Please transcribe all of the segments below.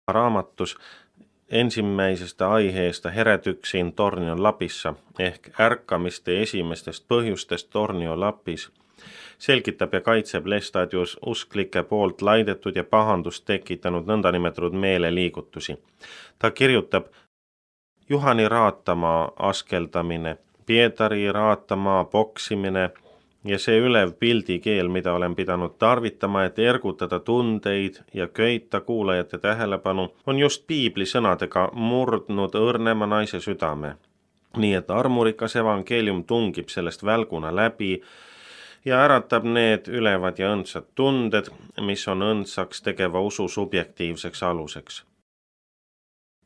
raamatus ensimmäisestä aiheesta herätyksiin Tornion Lapissa ehk ärkamiste esimestest põhjustest Tornio Lapis selgitab ja kaitseb Lestadius usklike poolt laidetud ja pahandust tekitanud nõndanimetatud meeleliigutusi. Ta kirjutab Juhani raatamaa askeldamine, Pietari raatamaa poksimine ja see ülev pildikeel, mida olen pidanud tarvitama, et ergutada tundeid ja köita kuulajate tähelepanu, on just piibli sõnadega murdnud õrnema naise südame. Nii et armurikas evangeelium tungib sellest välguna läbi ja äratab need ülevad ja õndsad tunded, mis on õndsaks tegeva usu subjektiivseks aluseks.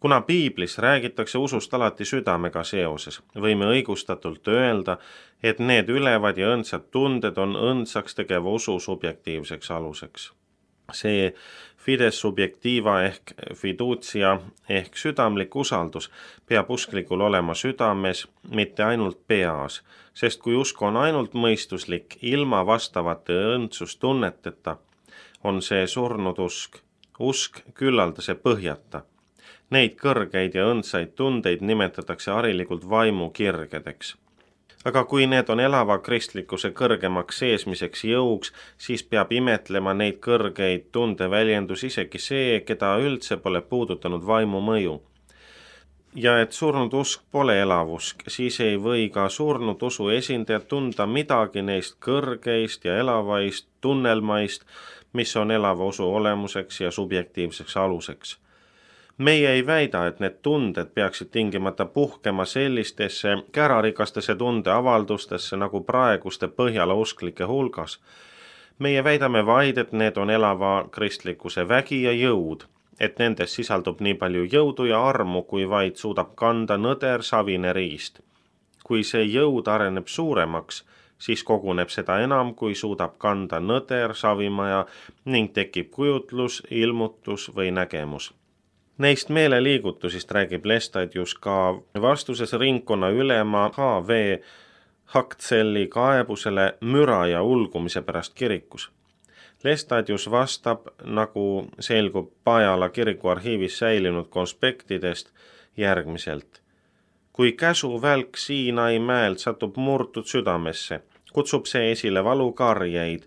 Kuna piiblis räägitakse usust alati südamega seoses, võime õigustatult öelda, et need ülevad ja õndsad tunded on õndsaks tegeva usu subjektiivseks aluseks. See fides subjektiva ehk fiducia ehk südamlik usaldus peab usklikul olema südames, mitte ainult peas, sest kui usk on ainult mõistuslik, ilma vastavate õndsustunneteta, on see surnud usk. Usk küllaldase põhjata. Neid kõrgeid ja õndsaid tundeid nimetatakse harilikult vaimukirgedeks. Aga kui need on elava kristlikkuse kõrgemaks seesmiseks jõuks, siis peab imetlema neid kõrgeid tundeväljendus isegi see, keda üldse pole puudutanud vaimu mõju. Ja et surnud usk pole elavusk, siis ei või ka surnud usu esindajad tunda midagi neist kõrgeist ja elavaist tunnelmaist, mis on elava usu olemuseks ja subjektiivseks aluseks. Meie ei väida, et need tunded peaksid tingimata puhkema sellistesse kärarikastesse tundeavaldustesse nagu praeguste Põhjala usklike hulgas. Meie väidame vaid, et need on elava kristlikkuse vägi ja jõud, et nendes sisaldub nii palju jõudu ja armu, kui vaid suudab kanda nõder savine riist. Kui see jõud areneb suuremaks, siis koguneb seda enam, kui suudab kanda nõder savimaja ning tekib kujutlus, ilmutus või nägemus. Neist meeleliigutusist räägib Lestadius ka vastuses ringkonna ülema H.V. Haktselli kaebusele müra ja ulgumise pärast kirikus. Lestadius vastab, nagu selgub Pajala kiriku arhiivis säilinud konspektidest, järgmiselt. Kui käsuvälk Siinai mäelt satub murtud südamesse, kutsub see esile valukarjeid.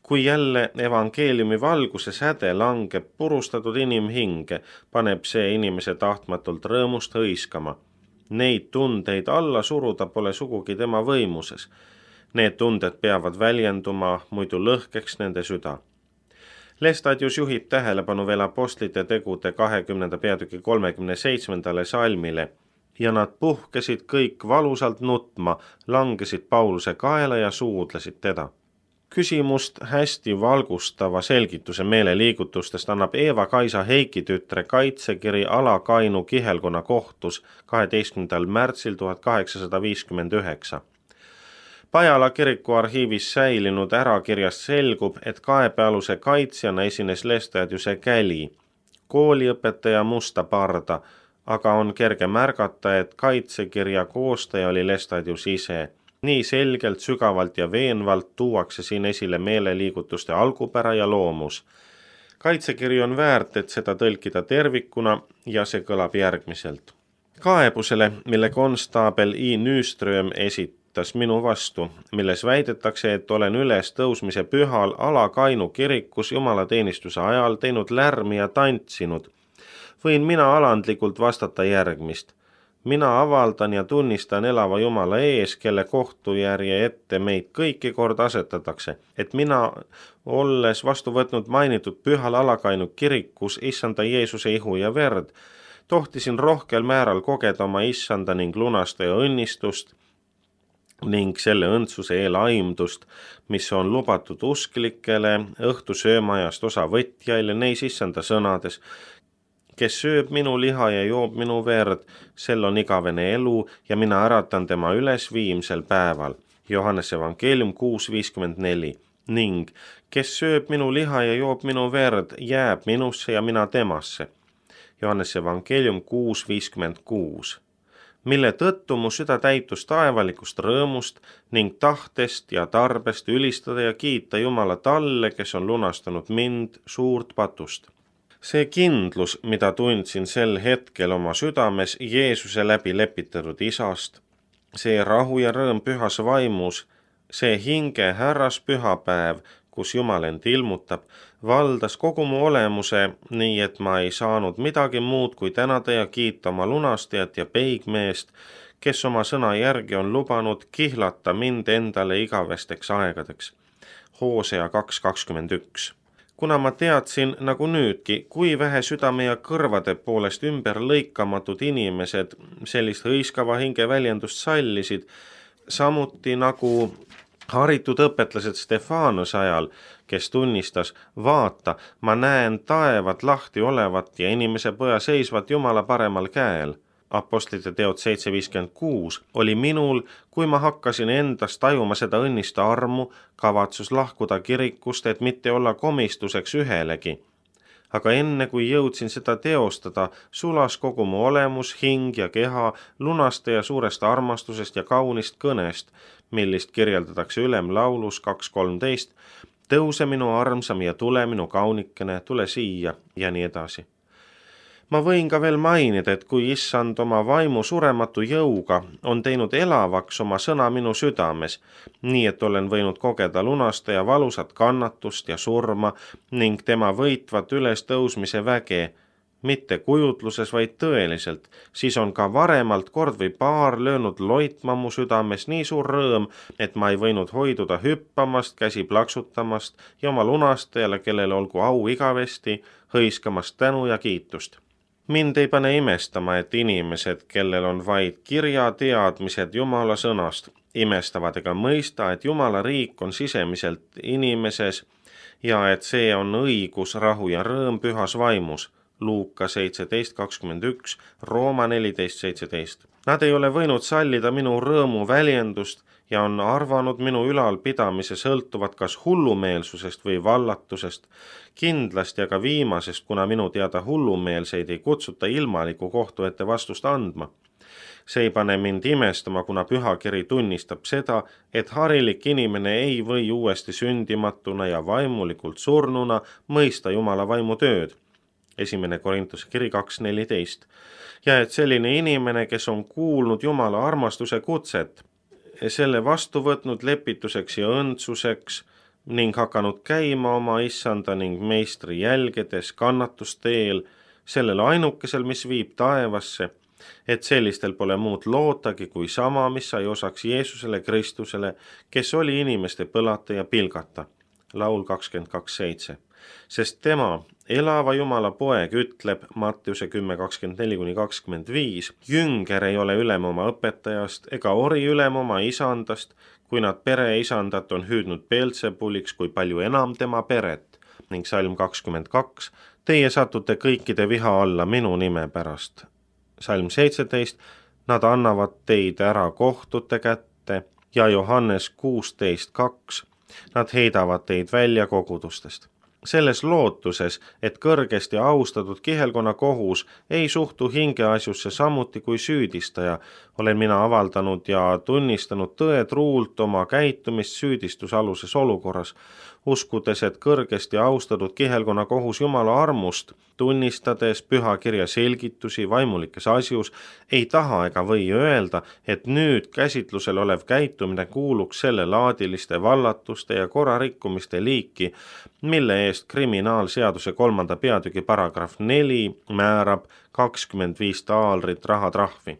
Kui jälle evangeeliumi valguse säde langeb purustatud inimhinge, paneb see inimese tahtmatult rõõmust hõiskama. Neid tundeid alla suruda pole sugugi tema võimuses. Need tunded peavad väljenduma, muidu lõhkeks nende süda. Lestadius juhib tähelepanu veel apostlite tegude 20. peatüki 37. salmile ja nad puhkesid kõik valusalt nutma, langesid Pauluse kaela ja suudlesid teda. Küsimust hästi valgustava selgituse meeleliigutustest annab Eva-Kaisa Heiki tütre kaitsekiri Alakainu kihelkonna kohtus 12. märtsil 1859. Pajala kiriku arhiivis säilinud ärakirjast selgub, et kaebealuse kaitsjana esines Lestadiuse käli, kooliõpetaja musta parda, aga on kerge märgata, et kaitsekirja koostaja oli Lestadius ise. Nii selgelt, sügavalt ja veenvalt tuuakse siin esile meeleliigutuste algupära ja loomus. Kaitsekiri on väärt, et seda tõlkida tervikuna ja see kõlab järgmiselt. Kaebusele, mille konstaabel I. Nyström esitas minu vastu, milles väidetakse, et olen üles tõusmise pühal Alakainu kirikus jumalateenistuse ajal teinud lärmi ja tantsinud, võin mina alandlikult vastata järgmist. Mina avaldan ja tunnistan elava Jumala ees, kelle kohtujärje ette meid kõiki kord asetatakse, et mina, olles vastu võtnud mainitud pühal Alakainu kirikus issanda Jeesuse ihu ja verd, tohtisin rohkel määral kogeda oma issanda ning lunastaja õnnistust ning selle õndsuse eelaimdust, mis on lubatud usklikele õhtusöömajast osavõtjaile neis issanda sõnades, kes sööb minu liha ja joob minu verd, sel on igavene elu ja mina äratan tema üles viimsel päeval. Johannes evangeelium 6.54 ning kes sööb minu liha ja joob minu verd, jääb minusse ja mina temasse. Johannes evangeelium 6.56 mille tõttu mu süda täitus taevalikust rõõmust ning tahtest ja tarbest ülistada ja kiita Jumala talle, kes on lunastanud mind suurt patust. See kindlus, mida tundsin sel hetkel oma südames Jeesuse läbi lepitatud Isast, see rahu ja rõõm pühas vaimus, see hinge härras pühapäev, kus Jumal end ilmutab, valdas kogu mu olemuse, nii et ma ei saanud midagi muud kui tänada ja kiita oma lunastajat ja peigmeest, kes oma sõna järgi on lubanud kihlata mind endale igavesteks aegadeks. Hosea 2:21. Kuna ma teadsin nagu nüüdki, kui vähe südame ja kõrvade poolest ümber lõikamatud inimesed sellist hõiskava hinge väljendust sallisid, samuti nagu haritud õpetlased Stefanuse ajal, kes tunnistas, vaata, ma näen taevad lahti olevat ja inimese poja seisvat Jumala paremal käel. Apostlite teod 7:56 oli minul, kui ma hakkasin endast tajuma seda õnnist armu, kavatsus lahkuda kirikust, et mitte olla komistuseks ühelegi. Aga enne kui jõudsin seda teostada, sulas kogu mu olemus, hing ja keha lunastaja suurest armastusest ja kaunist kõnest, millist kirjeldatakse ülemlaulus 2:13, tõuse minu armsam ja tule minu kaunikene, tule siia ja nii edasi. Ma võin ka veel mainida, et kui Issand oma vaimu surematu jõuga on teinud elavaks oma sõna minu südames, nii et olen võinud kogeda lunastaja valusat kannatust ja surma ning tema võitvat ülestõusmise väge, mitte kujutluses, vaid tõeliselt, siis on ka varemalt kord või paar löönud loitma mu südames nii suur rõõm, et ma ei võinud hoiduda hüppamast, käsi plaksutamast ja oma lunastajale, kellele olgu au igavesti, hõiskamast tänu ja kiitust. Mind ei pane imestama, et inimesed, kellel on vaid kirjateadmised Jumala sõnast, imestavad ega mõista, et Jumala riik on sisemiselt inimeses ja et see on õigus, rahu ja rõõm pühas vaimus. Luuka 17:21, Rooma 14:17. Nad ei ole võinud sallida minu rõõmu väljendust ja on arvanud minu ülalpidamise sõltuvat kas hullumeelsusest või vallatusest, kindlasti aga viimasest, kuna minu teada hullumeelseid ei kutsuta ilmaliku kohtu ette vastust andma. See ei pane mind imestama, kuna pühakiri tunnistab seda, et harilik inimene ei või uuesti sündimatuna ja vaimulikult surnuna mõista Jumala vaimu tööd. 1. Korintuse kiri 2:14. Ja et selline inimene, kes on kuulnud Jumala armastuse kutset, selle vastu võtnud lepituseks ja õndsuseks ning hakanud käima oma issanda ning meistri jälgedes kannatusteel, sellel ainukesel, mis viib taevasse, et sellistel pole muud lootagi kui sama, mis sai osaks Jeesusele Kristusele, kes oli inimeste põlata ja pilgata. Laul 22:7. Sest tema, elava Jumala poeg, ütleb Mattiuse 10:24-25, jünger ei ole ülem oma õpetajast ega ori ülem oma isandast, kui nad pereisandat on hüüdnud Beelzebuliks, kui palju enam tema peret. Ning salm 22, teie satute kõikide viha alla minu nime pärast. Salm 17, nad annavad teid ära kohtute kätte ja Johannes 16:2, nad heidavad teid välja kogudustest. Selles lootuses, et kõrgesti austatud kihelkonna kohus ei suhtu hingeasjusse samuti kui süüdistaja, olen mina avaldanud ja tunnistanud tõetruult oma käitumist süüdistusaluses olukorras, uskudes, et kõrgesti austatud kihelkonna kohus Jumala armust, tunnistades pühakirja selgitusi vaimulikes asjus, ei taha ega või öelda, et nüüd käsitlusel olev käitumine kuuluks sellelaadiliste vallatuste ja korrarikkumiste liiki, mille eest kriminaalseaduse 3. peatüki paragrahv 4 määrab 25 taalrit rahatrahvi.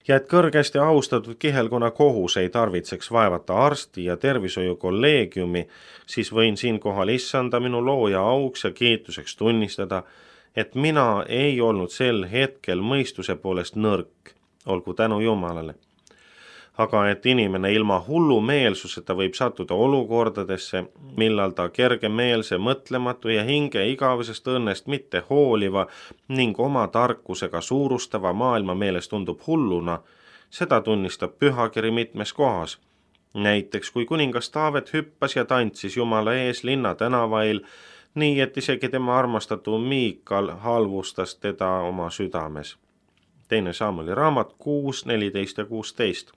Ja et kõrgesti austatud kihelkonna kohus ei tarvitseks vaevata arsti ja tervishoiukolleegiumi, siis võin siinkohal issanda minu looja auks ja kiituseks tunnistada, et mina ei olnud sel hetkel mõistuse poolest nõrk, olgu tänu Jumalale. Aga et inimene ilma hullumeelsuseta võib sattuda olukordadesse, millal ta kergemeelse, mõtlematu ja hinge igavesest õnnest mitte hooliva ning oma tarkusega suurustava maailma meeles tundub hulluna, seda tunnistab pühakiri mitmes kohas. Näiteks kui kuningas Taavet hüppas ja tantsis Jumala ees linna tänavail, nii et isegi tema armastatu Miikal halvustas teda oma südames. 2. Samueli raamat 6:14 ja 16.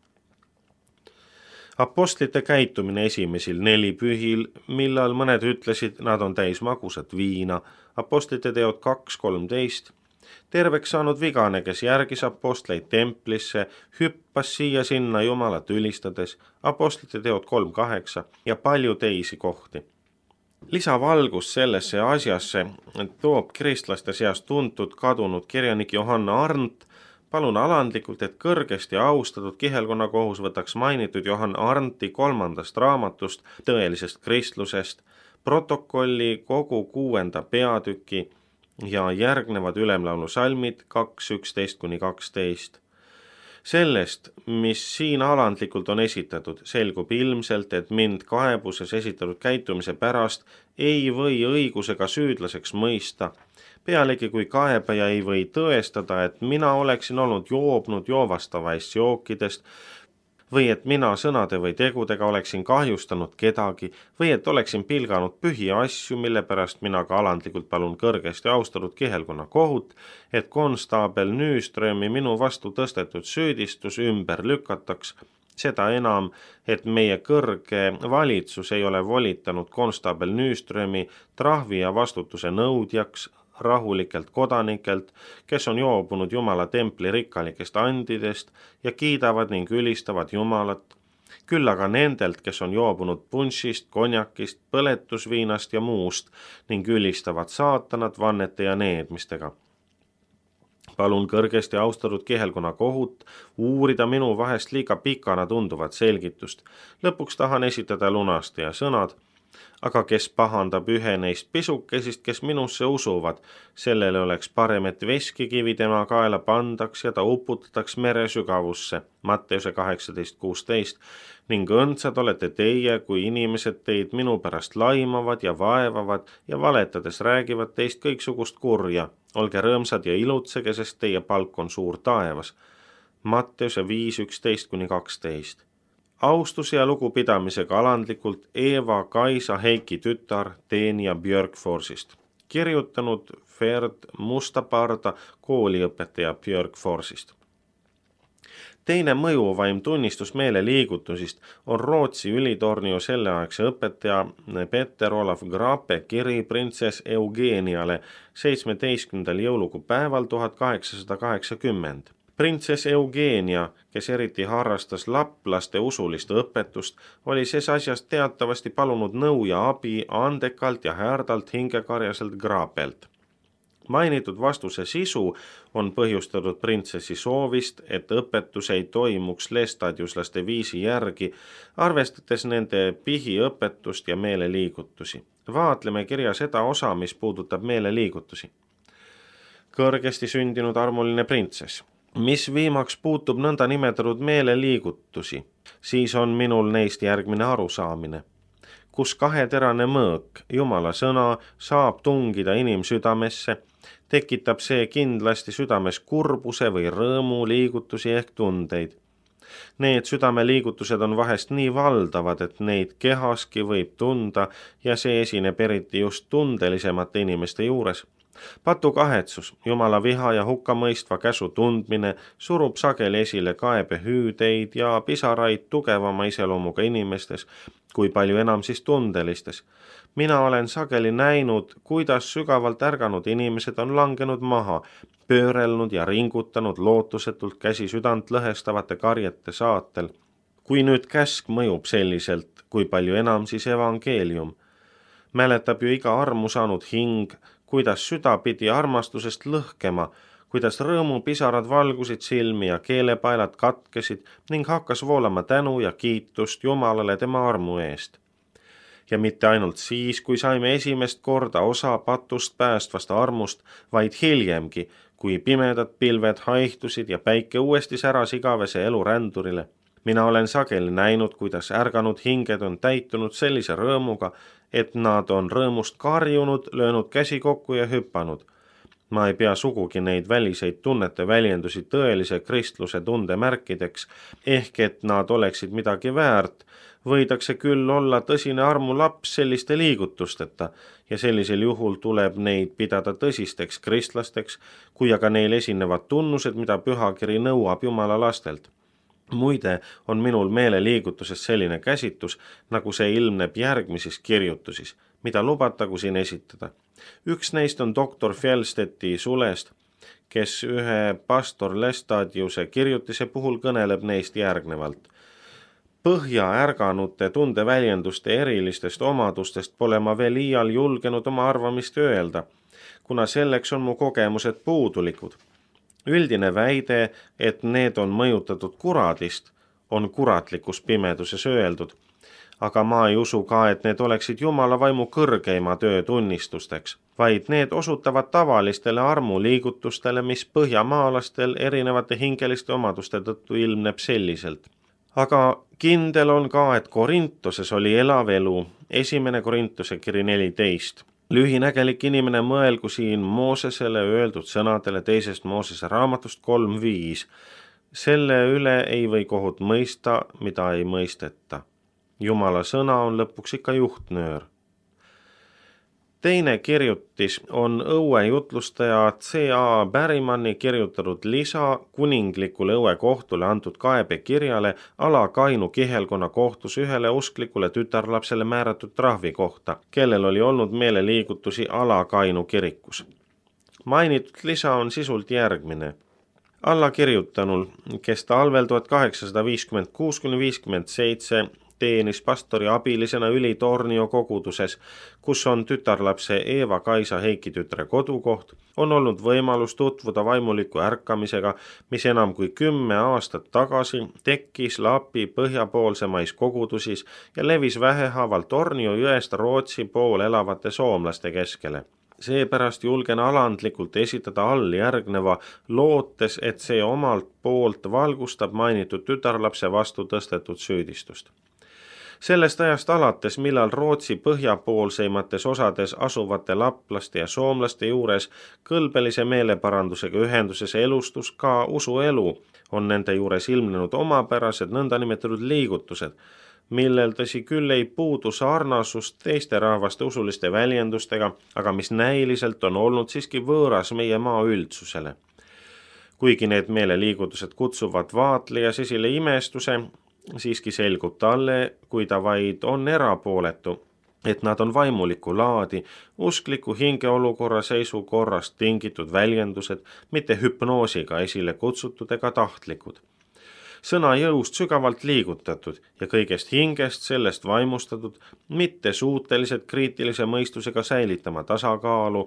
Apostlite käitumine esimesel 4 pühil, millal mõned ütlesid, nad on täis magusat viina. Apostlite teod 2:13. Terveks saanud vigane, kes järgis apostleid templisse, hüppas siia-sinna Jumalat ülistades. Apostlite teod 3:8 ja palju teisi kohti. Lisavalgus sellesse asjasse toob kristlaste seas tuntud kadunud kirjanik Johanna Arndt. Palun alandlikult, et kõrgesti austatud kihelkonnakohus võtaks mainitud Johann Arndti 3. raamatust Tõelisest kristlusest, protokolli kogu 6. peatüki ja järgnevad ülemlaulu salmid 2:11-12. Sellest, mis siin alandlikult on esitatud, selgub ilmselt, et mind kaebuses esitatud käitumise pärast ei või õigusega süüdlaseks mõista. Pealegi kui kaebaja ei või tõestada, et mina oleksin olnud joobnud joovastavaist jookidest või et mina sõnade või tegudega oleksin kahjustanud kedagi või et oleksin pilganud pühi asju, mille pärast mina ka alandlikult palun kõrgesti austatud kihelkonna kohut, et konstaabel Nyströmi minu vastu tõstetud süüdistus ümber lükataks, seda enam, et meie kõrge valitsus ei ole volitanud konstaabel Nyströmi trahvi ja vastutuse nõudjaks rahulikelt kodanikelt, kes on joobunud Jumala templi rikkalikest andidest ja kiidavad ning ülistavad Jumalat, küll aga nendelt, kes on joobunud punšist, konjakist, põletusviinast ja muust ning ülistavad saatanat vannete ja needmistega. Palun kõrgesti austatud kihelkonna kohut uurida minu vahest liiga pikana tunduvat selgitust. Lõpuks tahan esitada lunastaja sõnad, aga kes pahandab ühe neist pisukesist, kes minusse usuvad, sellele oleks parem, et veskikivi tema kaela pandaks ja ta uputataks mere sügavusse, Matteuse 18:16, ning õndsad olete teie, kui inimesed teid minu pärast laimavad ja vaevavad ja valetades räägivad teist kõiksugust kurja. Olge rõõmsad ja ilutsege, sest teie palk on suur taevas. Matteuse 5:11-12. Austuse ja lugupidamisega alandlikult Eva-Kaisa Heiki tütar Teenija Björkforsist. Kirjutanud Ferd Mustaparda, kooliõpetaja Björkforsist. Teine mõjuvaim tunnistus meeleliigutusist on Rootsi ülitornio selleaegse õpetaja Peter Olaf Grape kiri printsess Eugeniale 17. jõulukuu päeval 1880. Printsess Eugenia, kes eriti harrastas laplaste usulist õpetust, oli ses asjas teatavasti palunud nõu ja abi andekalt ja härdalt hingekarjaselt Grapelt. Mainitud vastuse sisu on põhjustatud printsessi soovist, et õpetus ei toimuks lestadiuslaste viisi järgi, arvestades nende pihiõpetust ja meeleliigutusi. Vaatleme kirja seda osa, mis puudutab meeleliigutusi. Kõrgesti sündinud armuline printsess. Mis viimaks puutub nõnda nimetatud meeleliigutusi, siis on minul neist järgmine arusaamine. Kus kaheterane mõõk, Jumala sõna, saab tungida inimsüdamesse, tekitab see kindlasti südames kurbuse või rõõmu liigutusi ehk tundeid. Need südameliigutused on vahest nii valdavad, et neid kehaski võib tunda ja see esineb eriti just tundelisemate inimeste juures. Patukahetsus, Jumala viha ja hukkamõistva käsu tundmine surub sageli esile kaebehüüdeid ja pisaraid tugevama iseloomuga inimestes, kui palju enam siis tundelistes. Mina olen sageli näinud, kuidas sügavalt ärganud inimesed on langenud maha, pöörelnud ja ringutanud lootusetult käsi südant lõhestavate karjete saatel. Kui nüüd käsk mõjub selliselt, kui palju enam siis evangeelium. Mäletab ju iga armu saanud hing, kuidas süda pidi armastusest lõhkema, kuidas rõõmupisarad valgusid silmi ja keelepaelad katkesid ning hakkas voolama tänu ja kiitust Jumalale tema armu eest. Ja mitte ainult siis, kui saime esimest korda osa patust päästvast armust, vaid hiljemgi, kui pimedad pilved haihtusid ja päike uuesti säras igavese elu rändurile. Mina olen sageli näinud, kuidas ärganud hinged on täitunud sellise rõõmuga, et nad on rõõmust karjunud, löönud käsi kokku ja hüppanud. Ma ei pea sugugi neid väliseid tunnete väljendusi tõelise kristluse tundemärkideks, ehk et nad oleksid midagi väärt, võidakse küll olla tõsine armulaps selliste liigutusteta ja sellisel juhul tuleb neid pidada tõsisteks kristlasteks, kui aga neil esinevad tunnused, mida pühakiri nõuab Jumala lastelt. Muide on minul meeleliigutuses selline käsitus, nagu see ilmneb järgmises kirjutusis, mida lubatagu siin esitada. Üks neist on doktor Fjellstedti sulest, kes ühe pastor Lestadiuse kirjutise puhul kõneleb neist järgnevalt. Põhja ärganute tundeväljenduste erilistest omadustest pole ma veel iial julgenud oma arvamist öelda, kuna selleks on mu kogemused puudulikud. Üldine väide, et need on mõjutatud kuradist, on kuratlikus pimeduses öeldud, aga ma ei usu ka, et need oleksid Jumala vaimu kõrgeima töö tunnistusteks, vaid need osutavad tavalistele armuliigutustele, mis põhjamaalastel erinevate hingeliste omaduste tõttu ilmneb selliselt. Aga kindel on ka, et Korintoses oli elav elu, 1. Korintuse kiri 14. Lühinägelik inimene mõelgu siin Moosesele öeldud sõnadele 2. Moosese raamatust 3.5. Selle üle ei või kohut mõista, mida ei mõisteta. Jumala sõna on lõpuks ikka juhtnöör. Teine kirjutis on õue jutlustaja C.A. Berrymanni kirjutatud lisa kuninglikule õue kohtule antud kaebekirjale Alakainu kihelkonna kohtus ühele usklikule tütarlapsele määratud trahvi kohta, kellel oli olnud meeleliigutusi Alakainu kirikus. Mainitud lisa on sisult järgmine. Allakirjutanul, kes talvel 1856–57 teenis pastori abilisena Ülitornio koguduses, kus on tütarlapse Eeva-Kaisa Heiki tütre kodukoht, on olnud võimalus tutvuda vaimuliku ärkamisega, mis enam kui 10 aastat tagasi tekkis Lapi põhjapoolsemais kogudusis ja levis vähehaaval Tornio jõest Rootsi pool elavate soomlaste keskele. Seepärast julgen alandlikult esitada alljärgneva, lootes, et see omalt poolt valgustab mainitud tütarlapse vastu tõstetud süüdistust. Sellest ajast alates, millal Rootsi põhjapoolseimates osades asuvate laplaste ja soomlaste juures kõlbelise meeleparandusega ühenduses elustus ka usuelu, on nende juures ilmnenud omapärased nõndanimetatud liigutused, millel tõsi küll ei puudu sarnasust teiste rahvaste usuliste väljendustega, aga mis näiliselt on olnud siiski võõras meie maa üldsusele. Kuigi need meeleliigutused kutsuvad vaatlejas esile imestuse, siiski selgub talle, kui ta vaid on erapooletu, et nad on vaimuliku laadi, uskliku hingeolukorra seisukorrast tingitud väljendused, mitte hüpnoosiga esile kutsutud ega tahtlikud. Sõna jõust sügavalt liigutatud ja kõigest hingest sellest vaimustatud, mitte suutelised kriitilise mõistusega säilitama tasakaalu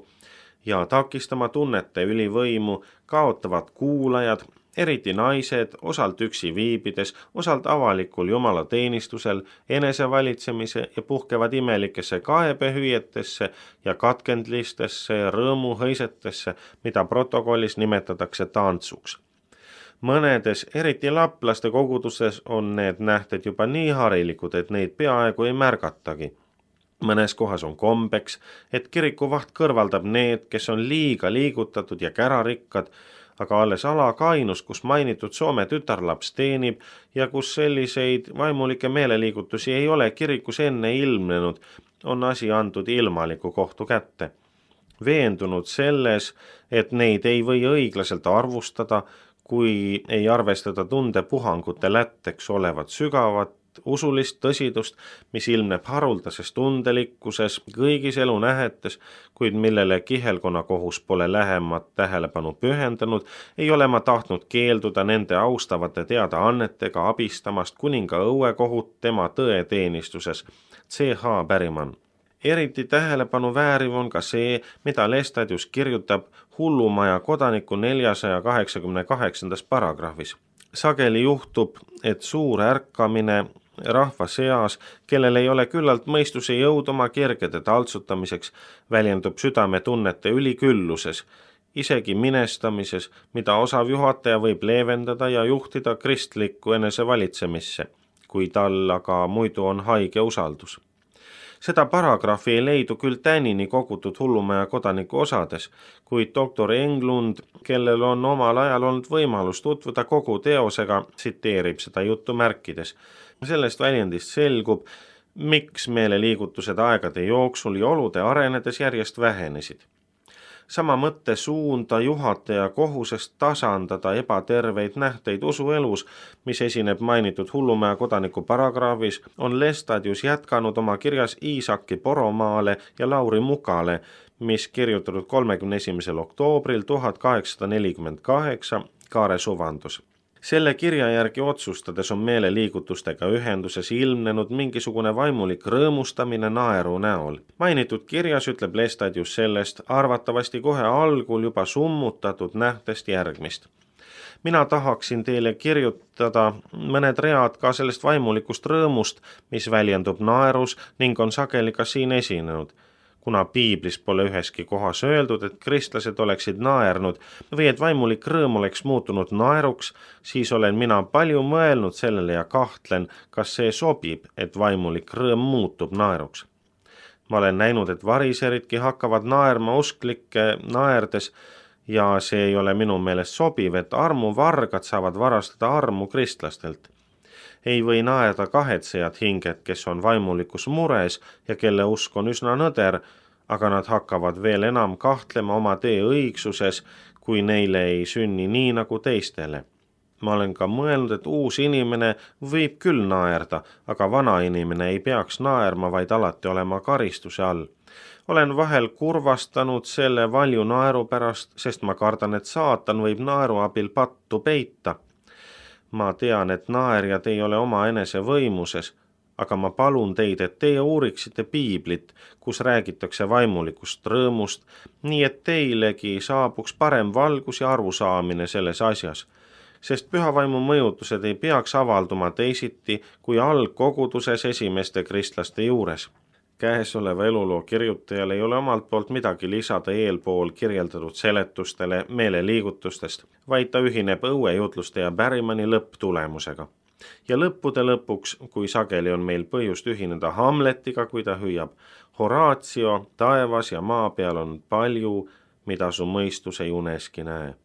ja takistama tunnete ülivõimu, kaotavad kuulajad, eriti naised, osalt üksi viibides, osalt avalikul Jumala teenistusel, enesevalitsemise ja puhkevad imelikesse kaebehüüetesse ja katkendlistesse ja rõõmuhõisetesse, mida protokollis nimetatakse tantsuks. Mõnedes, eriti laplaste koguduses on need nähted juba nii harilikud, et neid peaaegu ei märgatagi. Mõnes kohas on kombeks, et kirikuvaht kõrvaldab need, kes on liiga liigutatud ja kärarikkad, aga alles Alakainus, kus mainitud Soome tütarlaps teenib ja kus selliseid vaimulikke meeleliigutusi ei ole kirikus enne ilmnenud, on asi antud ilmaliku kohtu kätte. Veendunud selles, et neid ei või õiglaselt arvustada, kui ei arvestada tundepuhangute lätteks olevat sügavat usulist tõsidust, mis ilmneb haruldases tundelikkuses kõigis elunähetes, kuid millele kihelkonnakohus pole lähemat tähelepanu pühendanud, ei ole ma tahtnud keelduda nende austavate teadaannetega abistamast kuninga õuekohut tema tõeteenistuses, C.H. Berryman. Eriti tähelepanu vääriv on ka see, mida Lestadius kirjutab Hullumaja kodaniku 488. paragrahvis. Sageli juhtub, et suur ärkamine rahva seas, kellel ei ole küllalt mõistuse jõud oma kergede taltsutamiseks, väljendub südametunnete ülikülluses, isegi minestamises, mida osav juhataja võib leevendada ja juhtida kristlikku enesevalitsemisse, kui tal aga muidu on haige usaldus. Seda paragrahvi ei leidu küll tänini kogutud Hullumaja kodaniku osades, kuid doktor Englund, kellel on omal ajal olnud võimalus tutvuda kogu teosega, tsiteerib seda juttu märkides. Sellest väljendist selgub, miks meeleliigutused aegade jooksul ja olude arenedes järjest vähenesid. Sama mõtte suunda juhataja kohusest tasandada ebaterveid nähteid usuelus, mis esineb mainitud Hullumäe kodaniku paragrahvis, on Lestadius jätkanud oma kirjas Iisaki Poromaale ja Lauri Mukale, mis kirjutatud 31. oktoobril 1848 Kaare suvandus. Selle kirja järgi otsustades on meeleliigutustega ühenduses ilmnenud mingisugune vaimulik rõõmustamine naeru näol. Mainitud kirjas ütleb Lestadius sellest arvatavasti kohe algul juba summutatud nähtest järgmist. Mina tahaksin teile kirjutada mõned read ka sellest vaimulikust rõõmust, mis väljendub naerus ning on sageli ka siin esinenud. Kuna piiblis pole üheski kohas öeldud, et kristlased oleksid naernud või et vaimulik rõõm oleks muutunud naeruks, siis olen mina palju mõelnud sellele ja kahtlen, kas see sobib, et vaimulik rõõm muutub naeruks. Ma olen näinud, et variseridki hakkavad naerma usklikke naerdes ja see ei ole minu meelest sobiv, et armuvargad saavad varastada armu kristlastelt. Ei või naerda kahetsejad hinged, kes on vaimulikus mures ja kelle usk on üsna nõder, aga nad hakkavad veel enam kahtlema oma tee õigsuses, kui neile ei sünni nii nagu teistele. Ma olen ka mõelnud, et uus inimene võib küll naerda, aga vana inimene ei peaks naerma, vaid alati olema karistuse all. Olen vahel kurvastanud selle valju naeru pärast, sest ma kardan, et saatan võib naeru abil pattu peita. Ma tean, et naerjad ei ole oma enese võimuses, aga ma palun teid, et teie uuriksite piiblit, kus räägitakse vaimulikust rõõmust, nii et teilegi saabuks parem valgus ja arusaamine selles asjas, sest pühavaimu mõjutused ei peaks avalduma teisiti kui algkoguduses esimeste kristlaste juures. Käesoleva eluloo kirjutajal ei ole omalt poolt midagi lisada eelpool kirjeldatud seletustele meeleliigutustest, vaid ta ühineb õuejutluste ja Berrimani lõpptulemusega. Ja lõppude lõpuks, kui sageli on meil põhjust ühineda Hamletiga, kui ta hüüab: Horatio, taevas ja maa peal on palju, mida su mõistus ei uneski näe.